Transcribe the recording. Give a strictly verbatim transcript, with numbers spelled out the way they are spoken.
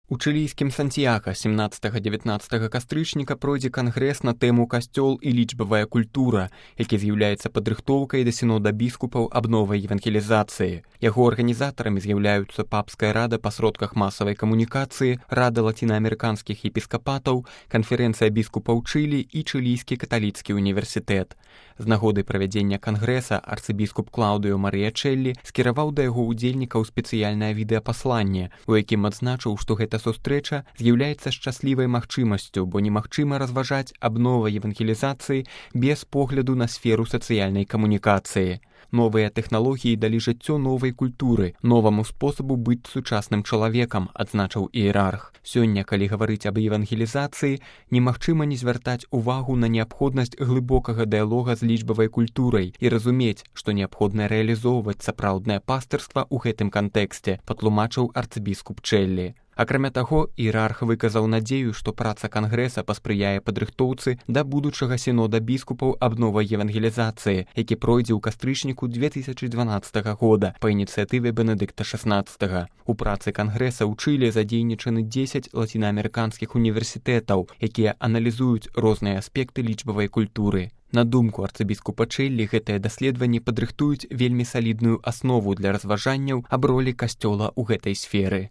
У чылійскім Сантьяга семнаццатага-дзевятнаццатага кастрычніка пройдзе кангрэс на тэму «Касцёл і лічбавая культура», які з'яўляецца падрыхтоўкай да сінода біскупаў аб новай евангелізацыі. Яго арганізатарамі з'яўляюцца Папская рада па сродках масавай камунікацыі, Рада лацінаамерыканскіх епіскапатаў, Канферэнцыя біскупаў Чылі і Чылійскі каталіцкі універсітэт. З нагоды правядзення кангрэса арцыбіскуп Клаўдыо Марыя Чэллі скіраваў да яго ўдзельнікаў спецыяльнае відэапасланне, у якім адзначыў, што гэта сустрэча з'яўляецца шчаслівай магчымасцю, бо немагчыма разважаць аб новай евангелізацыі без погляду на сферу сацыяльнай камунікацыі. Новыя тэхналогіі далі жыццё новай культуры, новаму спосабу быць сучасным чалавекам, адзначыў іерарх. Сёння, калі гаварыць аб евангелізацыі, немагчыма не звяртаць увагу на неабходнасць глыбокага дыялога з лічбавай культурай і разумець, што неабходна рэалізоўваць сапраўднае пастырства ў гэтым кантэксце, патлумачыў арцыбіскуп Чэллі. Акрамя таго, іерарх выказаў надзею, што праца кангрэса паспрыяе падрыхтоўцы да будучага сінода біскупаў аб новай евангелізацыі, які пройдзе ў кастрычніку две тысячы дванаццатага года па ініцыятыве Бенедыкта шаснаццатага. У працы кангрэса ў Чылі задзейнічаны дзесяць лацінаамерыканскіх універсітэтаў, якія аналізуюць розныя аспекты лічбавай культуры. На думку арцыбіскупа Чэллі, гэтыя даследаванні падрыхтуюць вельмі салідную аснову для разважанняў аб ролі касцёла ў гэтай сферы.